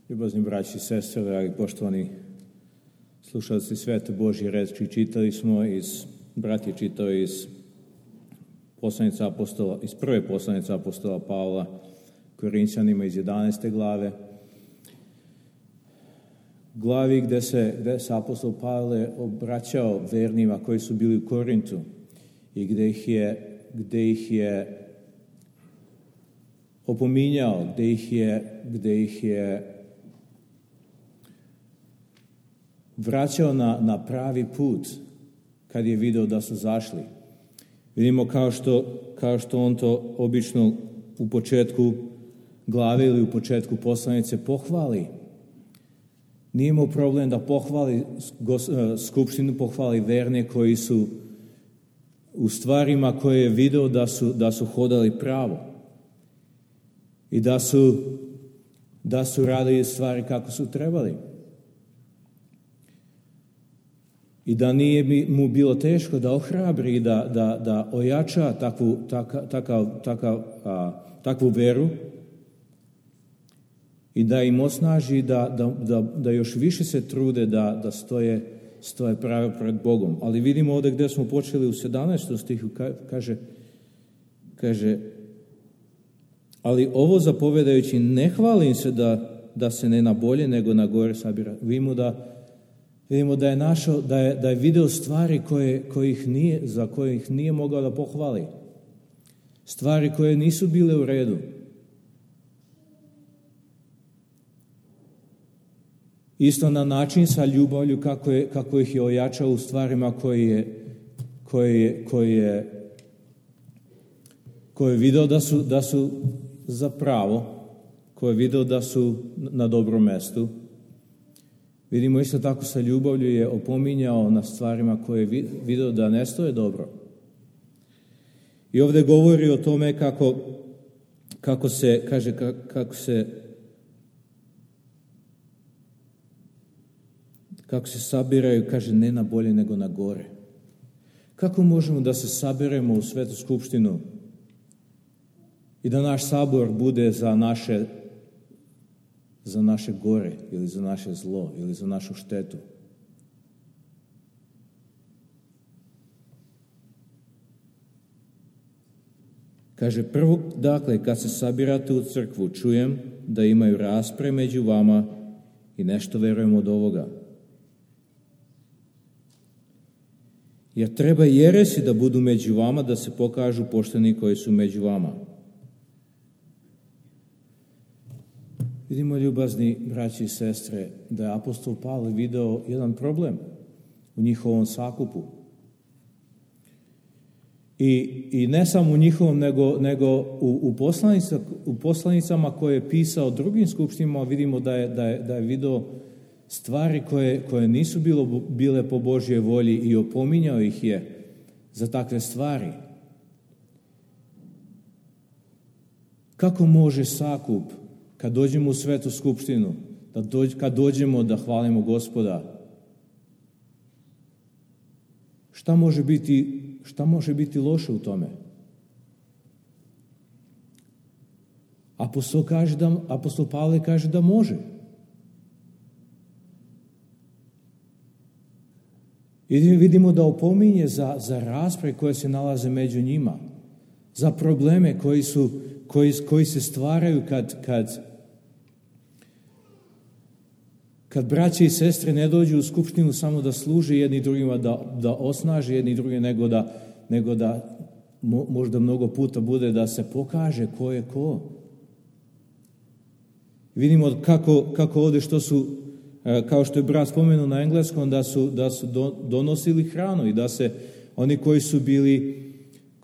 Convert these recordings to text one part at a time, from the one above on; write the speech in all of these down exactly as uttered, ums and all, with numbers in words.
Ljubazni braći i sestre, dragi poštovani slušalci Svete Božje reči, čitali smo iz, brat je čitao iz poslanice apostola, iz prve poslanice apostola Pavla Korinćanima iz jedanaeste glave, glavi gde se, gde se apostol Pavle obraćao vernima koji su bili u Korintu i gde ih je, gde ih je opominjao, gde ih je, gde ih je vraćao na, na pravi put kad je video da su zašli. Vidimo kao što, kao što on to obično u početku glave ili u početku poslanice pohvali. Nije imao problem da pohvali skupštinu, pohvali verne koji su u stvarima koje je video da su, da su hodali pravo i da su, da su radili stvari kako su trebali. I da nije mu bilo teško da ohrabri i da, da, da ojača takvu, taka, takav, takav, a, takvu veru i da im osnaži da, da, da, da još više se trude da, da stoje, stoje pravo pred Bogom. Ali vidimo ovdje gdje smo počeli u sedamnaestom stihu, kaže, kaže ali ovo zapovedajući ne hvalim se da, da se ne na bolje nego na gore sabira. Vidimo da Vidimo da je našao, da je, da je video stvari koje, kojih nije, za kojih nije mogao da pohvali. Stvari koje nisu bile u redu. Isto na način sa ljubavlju kako, je, kako ih je ojačao u stvarima koje je, koje je, koje je, koje je video da su, da su za pravo, koje je video da su na dobrom mestu. Vidimo isto tako sa ljubavlju je opominjao na stvarima koje je vidio da ne stoje dobro. I ovdje govori o tome kako, kako se, kaže, kako se, kako se sabiraju, kaže, ne na bolje nego na gore. Kako možemo da se sabiremo u Svetu skupštinu i da naš sabor bude za naše za naše gore ili za naše zlo ili za našu štetu? Kaže, prvo, dakle, kad se sabirate u crkvu, čujem da imaju raspre među vama i nešto verujem od ovoga. Jer treba jeresi da budu među vama, da se pokažu pošteni koji su među vama. Vidimo, ljubazni braći i sestre, da je apostol Pavle video jedan problem u njihovom sakupu. I, i ne samo u njihovom, nego, nego u, u, poslanica, u poslanicama koje je pisao drugim skupštinama, vidimo da je, da je, da je video stvari koje, koje nisu bilo, bile po Božjoj volji i opominjao ih je za takve stvari. Kako može sakup, kad dođemo u Svetu skupštinu, da dođ, kad dođemo da hvalimo Gospoda, šta može biti, šta može biti loše u tome? Apostol, kaže da, apostol Pavle kaže da može. I vidimo da opominje za, za rasprave koje se nalaze među njima, za probleme koji su Koji, koji se stvaraju kad, kad, kad braće i sestre ne dođu u skupštinu samo da služe jedni drugima, da, da osnaže jedni drugi, nego da, nego da mo, možda mnogo puta bude da se pokaže ko je ko. Vidimo kako, kako ovdje što su, kao što je brat spomenuo na engleskom, da su, da su do, donosili hranu i da se oni koji su bili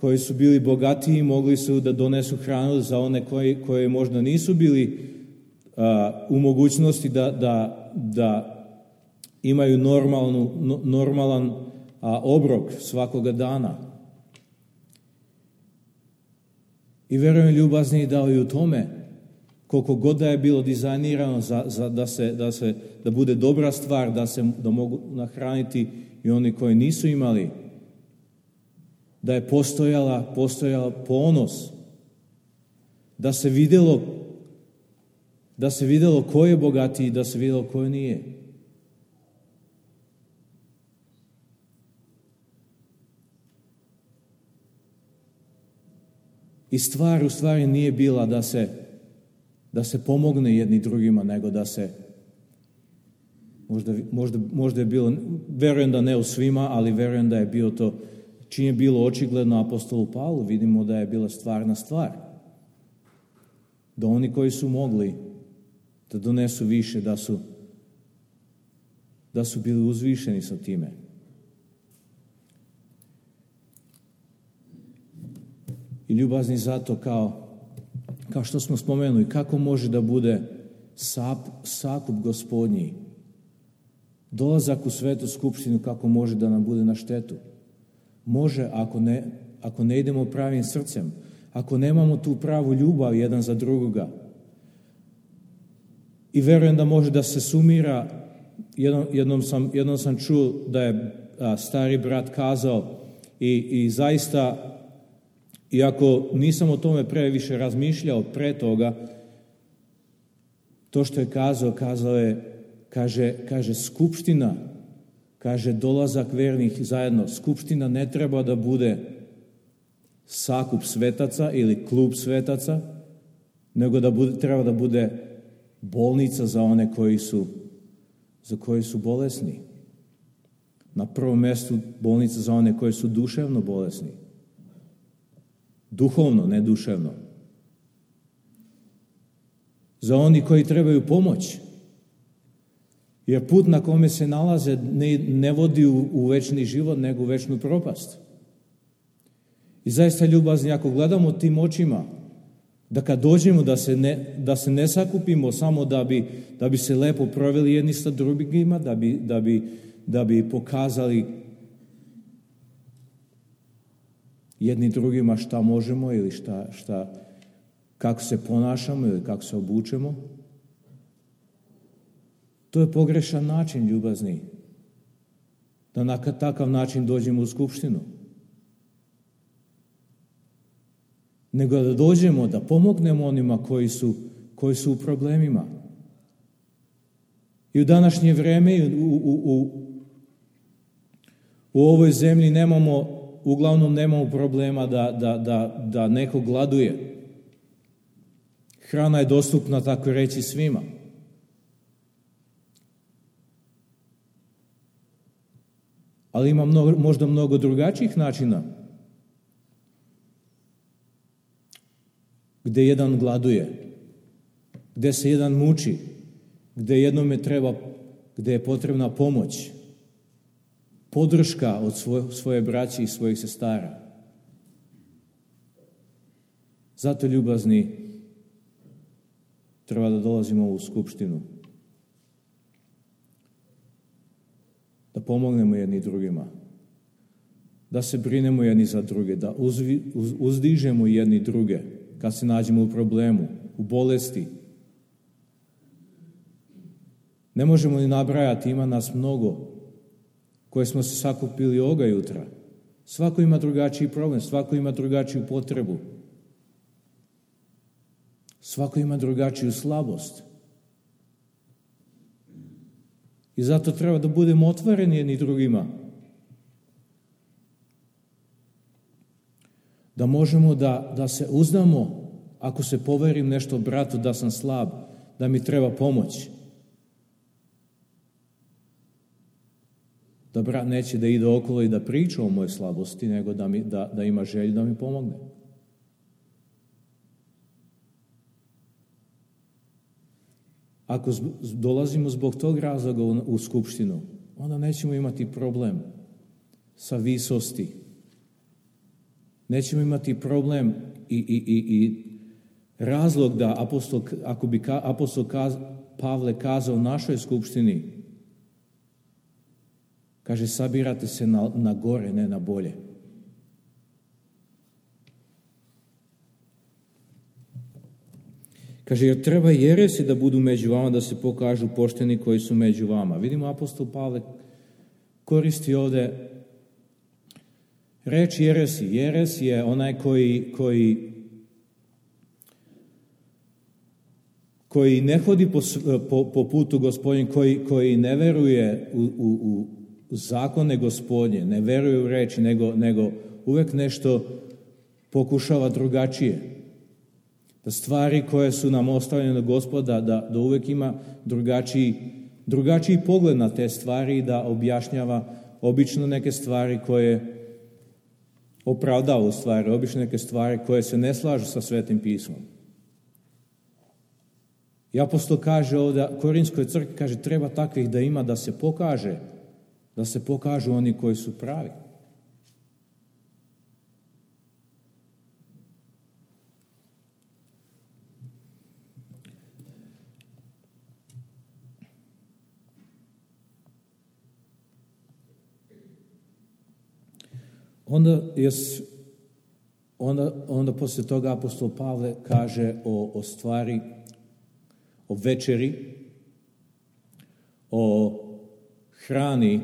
koji su bili bogatiji, mogli su da donesu hranu za one koji, koji možda nisu bili a, u mogućnosti da, da, da imaju normalnu, no, normalan a, obrok svakoga dana. I verujem, ljubazni, da i u tome, koliko god da je bilo dizajnirano za, za, da, se, da, se, da bude dobra stvar, da se da mogu nahraniti i oni koji nisu imali, da je postojala, postojala ponos, da se vidjelo Da se vidjelo ko je bogatiji, da se vidjelo ko nije. I stvar u stvari nije bila da se, da se pomogne jedni drugima, nego da se, možda, možda, možda je bilo, verujem da ne u svima, ali verujem da je bilo to, čim je bilo očigledno apostolu Pavlu, vidimo da je bila stvarna stvar. Da oni koji su mogli da donesu više, da su, da su bili uzvišeni sa time. I ljubazni zato kao, kao što smo spomenuli, kako može da bude sap, sakup gospodnji, dolazak u svetu skupštinu, kako može da nam bude na štetu. Može ako ne, ako ne idemo pravim srcem, ako nemamo tu pravu ljubav jedan za drugoga. I verujem da može da se sumira, jednom, jednom, sam, jednom sam čuo da je a, stari brat kazao i, i zaista, iako nisam o tome previše razmišljao pre toga, to što je kazao, kazao je, kaže, kaže skupština, kaže dolazak vernih zajedno, skupština ne treba da bude sakup svetaca ili klub svetaca, nego da bude, treba da bude bolnica za one koji su, za koji su bolesni. Na prvom mjestu bolnica za one koji su duševno bolesni. Duhovno, ne duševno. Za oni koji trebaju pomoć. Jer put na kome se nalaze ne, ne vodi u, u večni život, nego u večnu propast. I zaista ljubazni, ako gledamo tim očima, da kad dođemo da se ne, da se ne sakupimo samo da bi, da bi se lepo proveli jedni sa drugima, da bi, da bi, da bi pokazali jedni drugima šta možemo ili šta, šta, kako se ponašamo ili kako se obučemo. To je pogrešan način, ljubazni, da na takav način dođemo u skupštinu. Nego da dođemo, da pomognemo onima koji su, koji su u problemima. I u današnje vreme u, u, u, u ovoj zemlji nemamo, uglavnom nemamo problema da, da, da, da neko gladuje. Hrana je dostupna, tako reći, svima. Ali ima mnogo, možda mnogo drugačijih načina gde jedan gladuje, gde se jedan muči, gde jednome treba, gde je potrebna pomoć, podrška od svoje, svoje braće i svojih sestara. Zato, ljubazni, treba da dolazimo u skupštinu. Da pomognemo jedni drugima. Da se brinemo jedni za druge. Da uzvi, uz, uzdižemo jedni druge kad se nađemo u problemu, u bolesti. Ne možemo ni nabrajati, ima nas mnogo koje smo se sakupili ovoga jutra. Svako ima drugačiji problem, svako ima drugačiju potrebu. Svako ima drugačiju slabost. I zato treba da budemo otvoreni jedni drugima. Da možemo da, da se uzdamo, ako se poverim nešto bratu da sam slab, da mi treba pomoć. Da brat neće da ide okolo i da priča o mojoj slabosti, nego da, mi, da, da ima želju da mi pomogne. Ako dolazimo zbog tog razloga u, u skupštinu, onda nećemo imati problem sa visosti. Nećemo imati problem i, i, i, i razlog da apostol, ako bi ka, apostol kaz, Pavle kazao našoj skupštini, kaže, sabirate se na, na gore, ne na bolje. Kaže, jer treba jeresi da budu među vama, da se pokažu pošteni koji su među vama. Vidimo, apostol Pavle koristi ovde reč jeresi. Jeres je onaj koji, koji, koji ne hodi po, po, po putu Gospodnjem, koji, koji ne veruje u, u, u zakone Gospodnje, ne veruje u reči, nego, nego uvek nešto pokušava drugačije. Da stvari koje su nam ostavljene od Gospoda, da, da uvek ima drugačiji, drugačiji pogled na te stvari i da objašnjava obično neke stvari koje opravdava u stvari, obično neke stvari koje se ne slažu sa Svetim pismom. I apostol kaže ovdje, Korinskoj crkvi kaže, treba takvih da ima da se pokaže, da se pokažu oni koji su pravi. Onda, je, onda, onda poslije toga apostol Pavle kaže o, o stvari, o večeri, o hrani,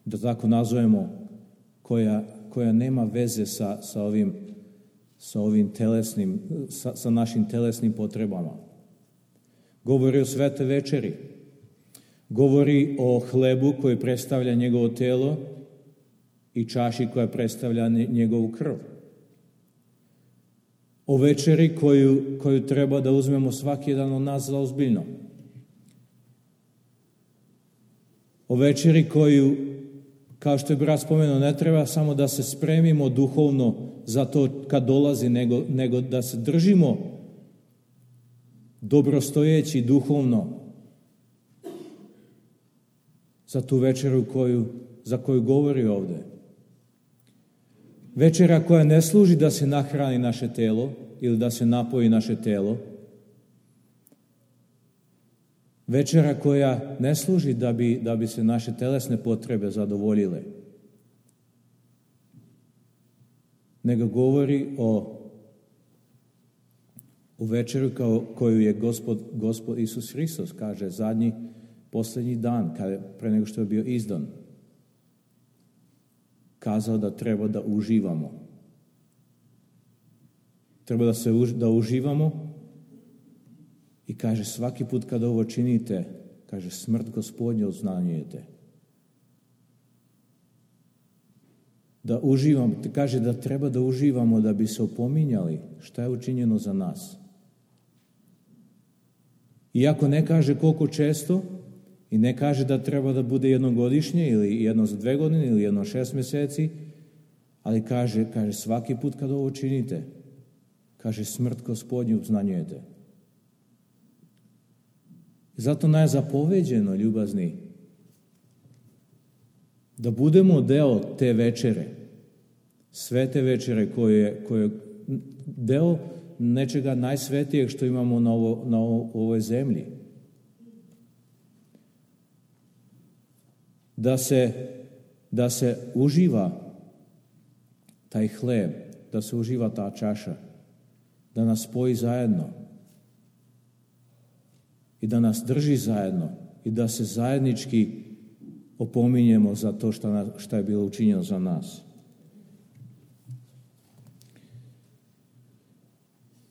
da tako nazovemo, koja, koja nema veze sa, sa, ovim, sa, ovim telesnim, sa, sa našim telesnim potrebama. Govori o svete večeri. Govori o hlebu koji predstavlja njegovo telo i čaši koja predstavlja njegovu krv. O večeri koju, koju treba da uzmemo svaki jedan od nas za ozbiljno. O večeri koju, kao što je brat spomenuo, ne treba samo da se spremimo duhovno za to kad dolazi, nego, nego da se držimo dobrostojeći duhovno za tu večeru koju, za koju govori ovdje. Večera koja ne služi da se nahrani naše telo ili da se napoji naše telo. Večera koja ne služi da bi, da bi se naše telesne potrebe zadovoljile. Nego govori o, o večeru kao, koju je Gospod, Gospod Isus Hristos, kaže, zadnji, posljednji dan, kada, pre nego što je bio izdan, kazao da treba da uživamo. Treba da se da uživamo i kaže svaki put kada ovo činite, kaže smrt Gospodnje oznanjujete. Da uživamo, kaže da treba da uživamo da bi se opominjali šta je učinjeno za nas. Iako ne kaže koliko često, i ne kaže da treba da bude jednogodišnje ili jedno za dve godine ili jedno šest mjeseci, ali kaže, kaže svaki put kad ovo činite, kaže smrt Gospodnju obznanjujete. Zato nam je zapoveđeno, ljubazni, da budemo deo te večere, svete večere koje, koje deo nečega najsvetijeg što imamo na, ovo, na ovo, ovoj zemlji. Da se, da se uživa taj hleb, da se uživa ta čaša, da nas spoji zajedno i da nas drži zajedno i da se zajednički opominjemo za to šta, šta je bilo učinjeno za nas.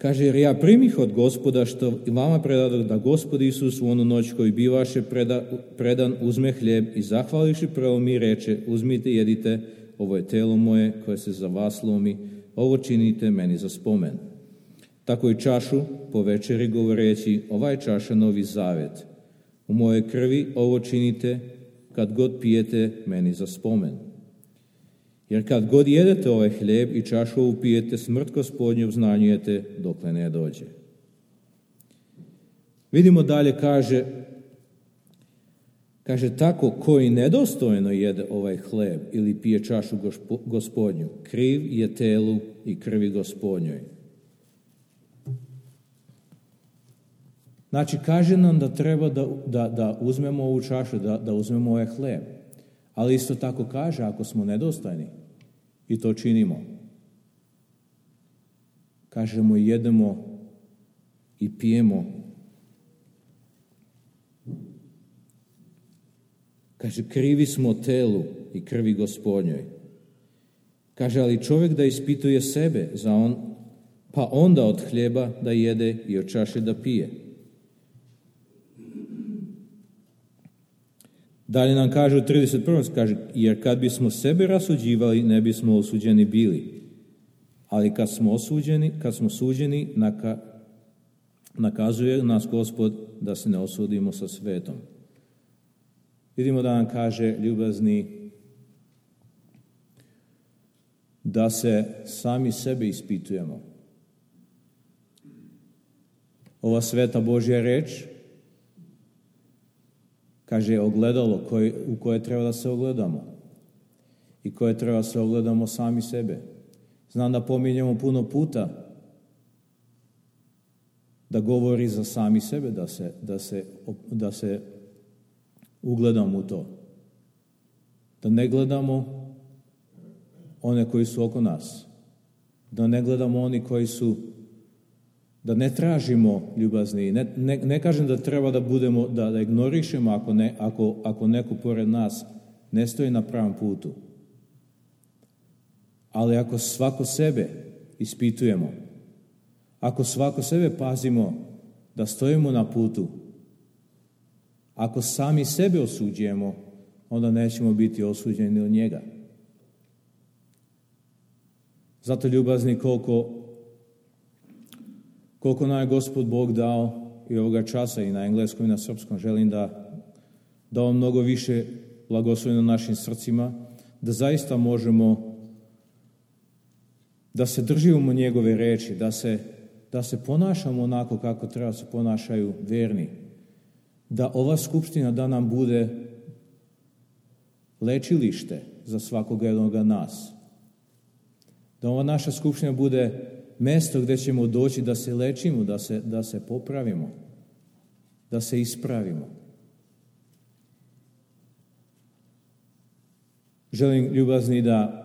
Kaže, jer ja primih od Gospoda što vama predadoh da Gospod Isus u onu noć koju bivaše preda, predan uzme hljeb i zahvališi prelomi reče, uzmite, jedite, ovo je telo moje koje se za vas lomi, ovo činite meni za spomen. Tako i čašu po večeri govoreći, ova je čaša novi zavet. U moje krvi ovo činite kad god pijete meni za spomen. Jer kad god jedete ovaj hljeb i čašu ovu pijete, smrt Gospodnju obznanjujete dokle ne dođe. Vidimo dalje, kaže, kaže tako koji nedostojno jede ovaj hljeb ili pije čašu Gospodnju, kriv je telu i krvi Gospodnjoj. Znači, kaže nam da treba da, da, da uzmemo ovu čašu, da, da uzmemo ovaj hljeb. Ali isto tako kaže, ako smo nedostojni i to činimo, kažemo jedemo i pijemo. Kaže, krivi smo telu i krvi Gospodnjoj. Kaže, ali čovjek da ispituje sebe, za on, pa onda od hljeba da jede i od čaše da pije. Dalje nam kaže u trideset prvom kaže, jer kad bismo sebe rasuđivali, ne bismo osuđeni bili. Ali kad smo osuđeni, kad smo suđeni, naka, nakazuje nas Gospod da se ne osudimo sa svetom. Vidimo da nam kaže, ljubazni, da se sami sebe ispitujemo. Ova sveta Božja reč kaže ogledalo koje, u koje treba da se ogledamo i koje treba da se ogledamo sami sebe. Znam da pominjemo puno puta da govori za sami sebe, da se, da se, da se ugledamo u to. Da ne gledamo one koji su oko nas. Da ne gledamo oni koji su, da ne tražimo ljubazni. Ne, ne, ne kažem da treba da budemo, da, da ignorišemo ako, ne, ako, ako neko pored nas ne stoji na pravom putu. Ali ako svako sebe ispitujemo, ako svako sebe pazimo da stojimo na putu, ako sami sebe osuđujemo, onda nećemo biti osuđeni od njega. Zato, ljubazni, koliko, koliko nam je Gospod Bog dao i ovoga časa i na engleskom i na srpskom, želim da da on mnogo više blagoslovi na našim srcima, da zaista možemo da se držimo njegove reči, da se, da se ponašamo onako kako treba da se ponašaju verni, da ova skupština da nam bude lečilište za svakog jednog nas. Da ova naša skupština bude mesto gdje ćemo doći da se lečimo, da se, da se popravimo, da se ispravimo. Želim, ljubazni, da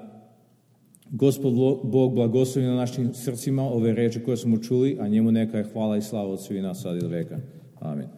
Gospod Bog blagoslovi na našim srcima ove reči koje smo čuli, a njemu neka je hvala i slava od svih nas sad i do veka. Amen.